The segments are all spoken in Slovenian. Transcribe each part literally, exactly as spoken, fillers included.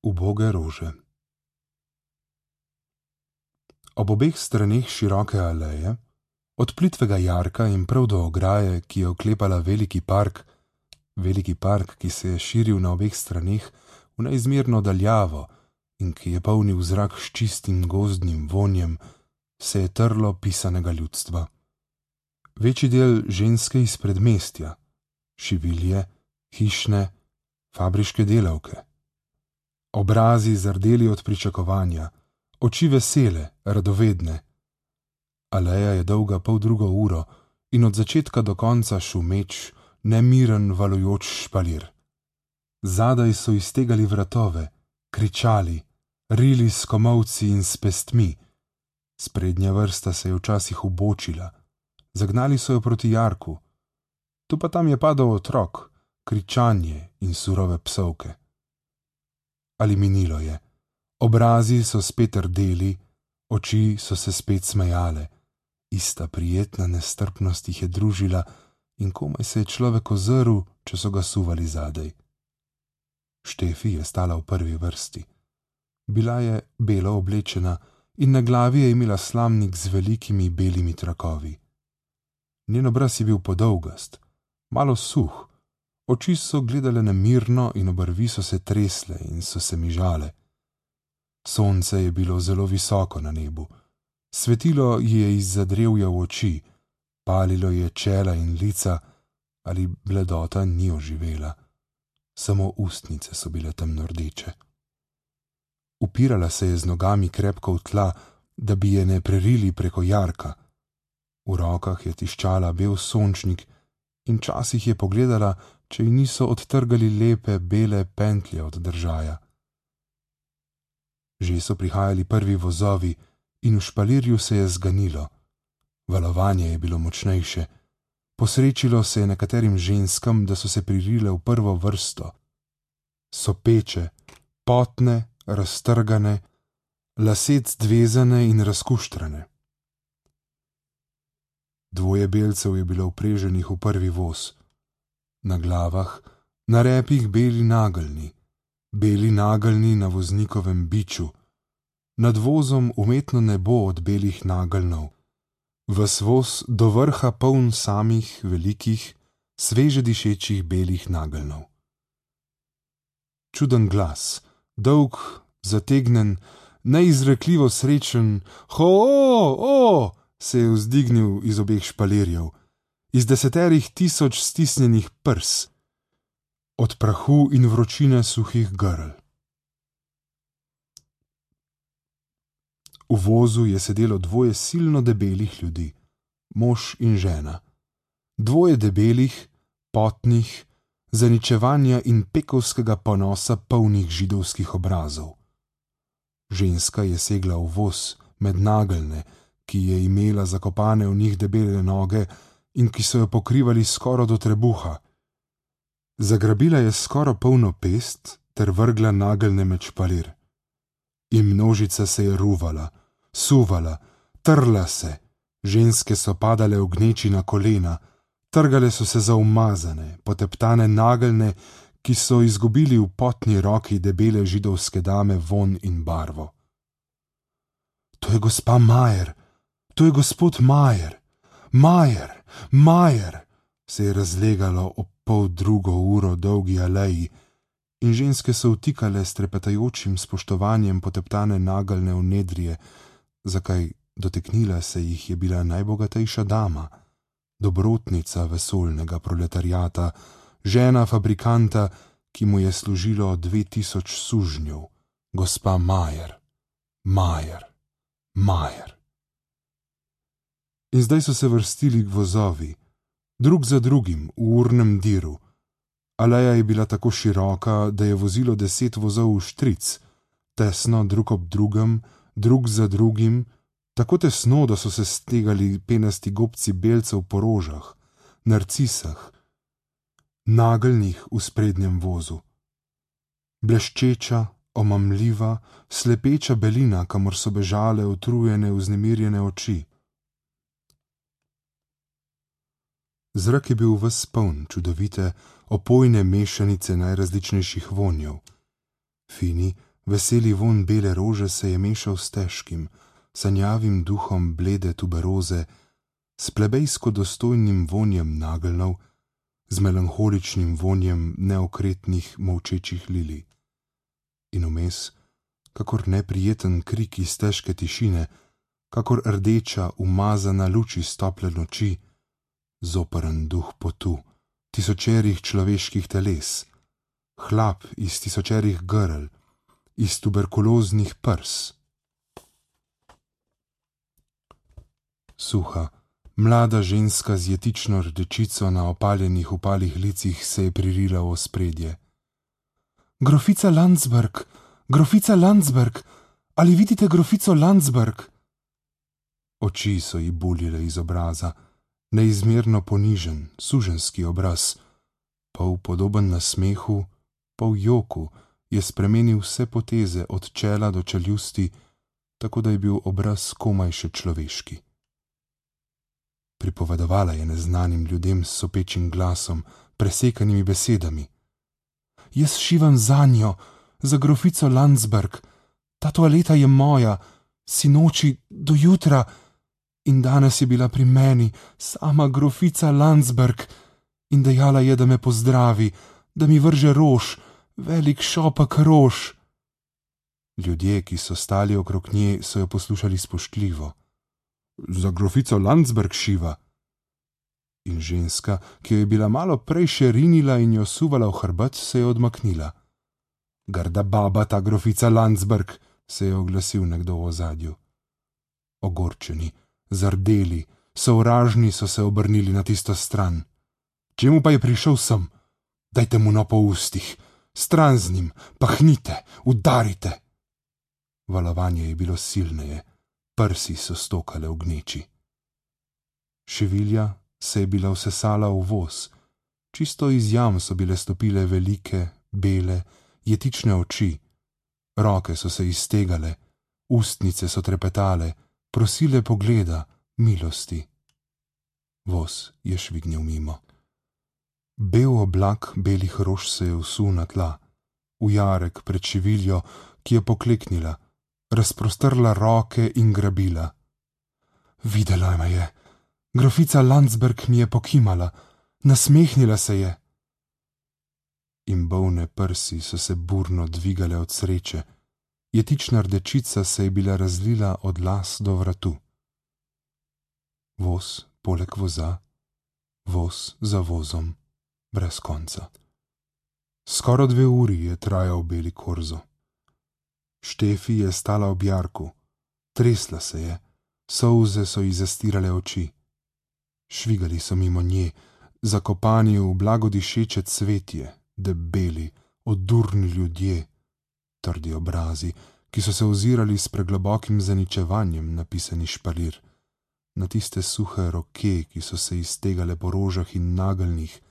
Uboge rože. Ob obeh straneh široke aleje, od plitvega jarka in prav do ograje, ki je oklepala veliki park, veliki park, ki se je širil na obeh straneh v neizmerno daljavo in ki je polnil zrak s čistim gozdnim vonjem, se je trlo pisanega ljudstva. Večji del ženske iz predmestja, šivilje, hišne, fabriške delavke. Obrazi zardeli od pričakovanja, oči vesele, radovedne. Aleja je dolga pol drugo uro in od začetka do konca šumeč, nemiren valujoč špalir. Zadaj so iztegali vratove, kričali, rili s komolci in s pestmi. Sprednja vrsta se je včasih ubočila, zagnali so jo proti jarku. Tu pa tam je padal otrok, kričanje in surove psovke. Ali minilo je, obrazi so spet rdeli, oči so se spet smejale, ista prijetna nestrpnost jih je družila in komaj se je človek ozrl, če so ga suvali zadaj. Štefi je stala v prvi vrsti. Bila je belo oblečena in na glavi je imela slamnik z velikimi belimi trakovi. Njen obraz je bil podolgast, malo suh, oči so gledale nemirno in obrvi so se tresle in so se mižale. Sonce je bilo zelo visoko na nebu, svetilo ji je izza drevja v oči, palilo je čela in lica, ali bledota ni oživela. Samo ustnice so bile temno rdeče. Upirala se je z nogami krepko v tla, da bi je ne prerili preko jarka. V rokah je tiščala bel sončnik in časih je pogledala, če ji niso odtrgali lepe bele pentlje od držaja. Že so prihajali prvi vozovi in v špalirju se je zganilo. Valovanje je bilo močnejše. Posrečilo se je nekaterim ženskam, da so se pririle v prvo vrsto. Sopeče, potne, raztrgane, lasec dvezane in razkuštrane. Dvoje belcev je bilo vpreženih v prvi voz. Na glavah, na repih beli nageljni, beli nageljni na voznikovem biču, nad vozom umetno nebo od belih nageljnov, ves voz do vrha poln samih velikih, sveže dišečih belih nageljnov. Čuden glas, dolg, zategnen, neizrekljivo srečen, ho-o-o, se je vzdignil iz obeh špalirjev, iz deseterih tisoč stisnjenih prs, od prahu in vročine suhih grl. V vozu je sedelo dvoje silno debelih ljudi, mož in žena. Dvoje debelih, potnih, zaničevanja in pekovskega ponosa polnih židovskih obrazov. Ženska je segla v voz med nageljne, ki je imela zakopane v njih debele noge in ki so jo pokrivali skoraj do trebuha. Zagrabila je skoraj polno pest ter vrgla nageljne med špalir. In množica se je ruvala, suvala, trla se, ženske so padale v gneči na kolena, trgale so se za umazane, poteptane nageljne, ki so izgubili v potni roki debele židovske dame von in barvo. To je gospa Majer, to je gospod Majer, Majer, Majer, se je razlegalo ob pol drugo uro dolgi aleji in ženske so vtikale s trepetajočim spoštovanjem poteptane nageljne v nedrije, zakaj doteknila se jih je bila najbogatejša dama, dobrotnica vesoljnega proletariata, žena fabrikanta, ki mu je služilo dve tisoč sužnjev, gospa Majer, Majer, Majer. In zdaj so se vrstili vozovi, drug za drugim, v urnem diru. Aleja je bila tako široka, da je vozilo deset vozov v štric, tesno drug ob drugem, drug za drugim, tako tesno, da so se stegali penasti gobci belcev po rožah, narcisah, nageljnih v sprednjem vozu. Bleščeča, omamljiva, slepeča belina, kamor so bežale utrujene, vznemirjene oči. Zrak je bil ves poln čudovite, opojne mešanice najrazličnejših vonjev. Fini, Veseli vonj bele rože se je mešal s težkim, sanjavim duhom blede tuberoze, s plebejsko dostojnim vonjem nageljnov, z melanholičnim vonjem neokretnih molčečih lilij. In vmes, kakor neprijeten krik iz težke tišine, kakor rdeča, umazana luč iz tople noči, zoperen duh potu, tisočerih človeških teles, hlap iz tisočerih grl, iz tuberkuloznih prs. Suha, mlada ženska z jetično rdečico na opaljenih upalih licih se je pririla v ospredje. Grofica Landsberg, grofica Landsberg, ali vidite grofico Landsberg? Oči so ji buljile iz obraza, neizmerno ponižen, suženski obraz, pol podoben nasmehu, pol joku, je spremenil vse poteze od čela do čeljusti, tako da je bil obraz komaj še človeški. Pripovedovala je neznanim ljudem s sopečim glasom, presekanimi besedami. Jaz šivam zanjo, za grofico Landsberg, ta toaleta je moja, sinoči do jutra, in danes je bila pri meni sama grofica Landsberg in dejala je, da me pozdravi, da mi vrže rož, velik šopek rož. Ljudje, ki so stali okrog nje, so jo poslušali spoštljivo. Za grofico Landsberg šiva. In ženska, ki jo je bila malo prej še rinila in jo suvala v hrbet, se je odmaknila. Grda baba ta grofica Landsberg, se je oglasil nekdo v ozadju. Ogorčeni, zardeli, sovražni so se obrnili na tisto stran. Čemu pa je prišel sem? Dajte mu no po ustih, stran z njim, pahnite, udarite. Valovanje je bilo silneje, prsi so stokale v gneči. Šivilja se je bila vsesala v voz, čisto iz jam so bile stopile velike, bele, jetične oči, roke so se iztegale, ustnice so trepetale, prosile pogleda, milosti. Voz je švignil mimo. Bel oblak belih rož se je vsul na tla, v jarek pred šiviljo, ki je pokleknila, razprostrla roke in grabila. Videla me je. Grofica Landsberg mi je pokimala, nasmehnila se je. In bolne prsi so se burno dvigale od sreče, jetična rdečica se je bila razlila od las do vratu. Voz poleg voza, voz za vozom, brez konca. Skoraj dve uri je trajal beli korzo. Štefi je stala ob jarku, tresla se je, solze so ji zastirale oči. Švigali so mimo nje, zakopani v blagodišeče cvetje, debeli, odurni ljudje, trdi obrazi, ki so se ozirali s preglobokim zaničevanjem na pisani špalir, na tiste suhe roke, ki so se iztegale po rožah in nageljnih,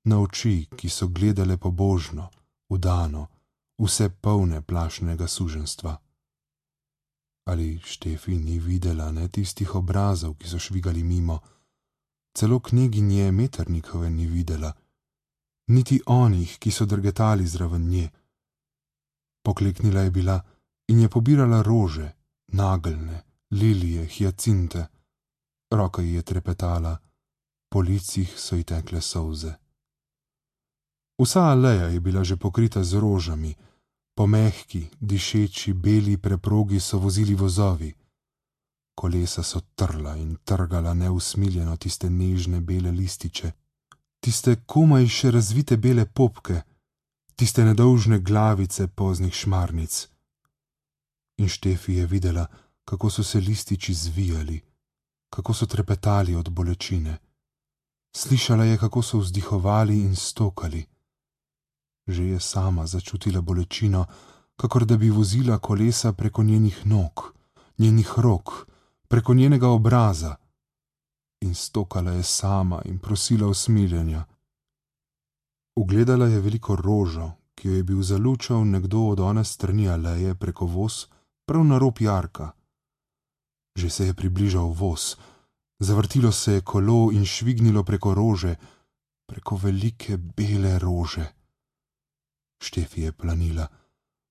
na oči, ki so gledale pobožno, vdano, vse polne plašnega suženstva. Ali Štefi ni videla ne tistih obrazov, ki so švigali mimo, celo kneginje Metternichove ni videla, niti onih, ki so drgetali zraven nje. Pokleknila je bila in je pobirala rože, nageljne, lilije, hiacinte. Roka ji je trepetala, po licih so ji tekle solze. Vsa aleja je bila že pokrita z rožami, po mehki, dišeči, beli preprogi so vozili vozovi. Kolesa so trla in trgala neusmiljeno tiste nežne bele lističe, tiste komaj še razvite bele popke, tiste nedolžne glavice poznih šmarnic. In Štefi je videla, kako so se lističi zvijali, kako so trepetali od bolečine. Slišala je, kako so vzdihovali in stokali. Že je sama začutila bolečino, kakor da bi vozila kolesa preko njenih nog, njenih rok, preko njenega obraza. In stokala je sama in prosila usmiljenja. Ugledala je veliko rožo, ki jo je bil zalučal nekdo od one strani aleje preko voz, prav na rob jarka. Že se je približal voz, zavrtilo se je kolo in švignilo preko rože, preko velike bele rože. Štefi je planila,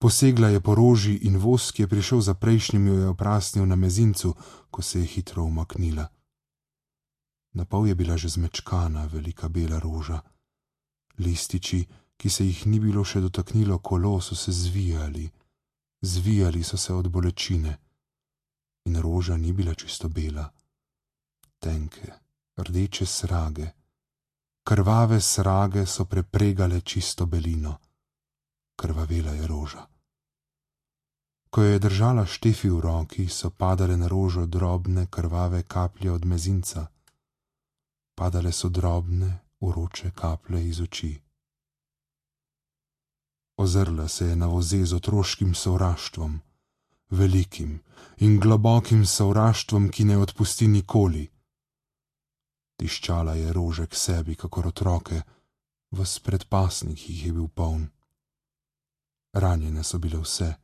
Posegla je po roži in voz, ki je prišel za prejšnjim, jo je oprasnil na mezincu, ko se je hitro umaknila. Napol je bila že zmečkana velika bela roža. Lističi, ki se jih ni bilo še dotaknilo kolo, so se zvijali, zvijali so se od bolečine. In roža ni bila čisto bela. Tenke, rdeče srage, krvave srage so prepregale čisto belino. Krvavela je roža. Ko jo je držala Štefi v roki, so padale na rožo drobne krvave kaplje od mezinca. Padale so drobne, vroče kaplje iz oči. Ozrla se je na voze z otroškim sovraštvom, velikim in globokim sovraštvom, ki ne odpusti nikoli. Tiščala je rože k sebi, kakor otroke, ves predpasnik jih je bil poln. Ranjene so bile vse,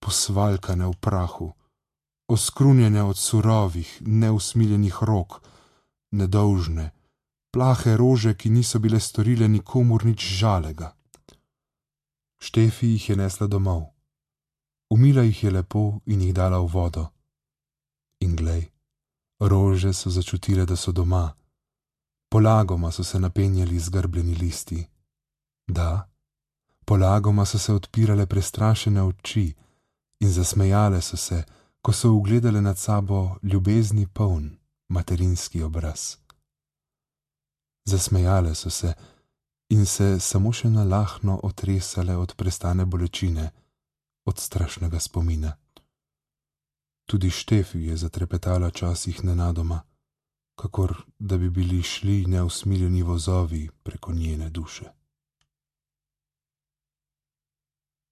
posvalkane v prahu, oskrunjene od surovih, neusmiljenih rok, nedolžne, plahe rože, ki niso bile storile nikomur nič žalega. Štefi jih je nesla domov. Umila jih je lepo in jih dala v vodo. In glej, rože so začutile, da so doma. Polagoma so se napenjali zgrbljeni listi. Da, polagoma so se odpirale prestrašene oči in zasmejale so se, ko so ugledale nad sabo ljubezni poln materinski obraz. Zasmejale so se in se samo še nalahno otresale od prestane bolečine, od strašnega spomina. Tudi Štefi je zatrepetala časih nenadoma, kakor da bi bili šli neusmiljeni vozovi preko njene duše.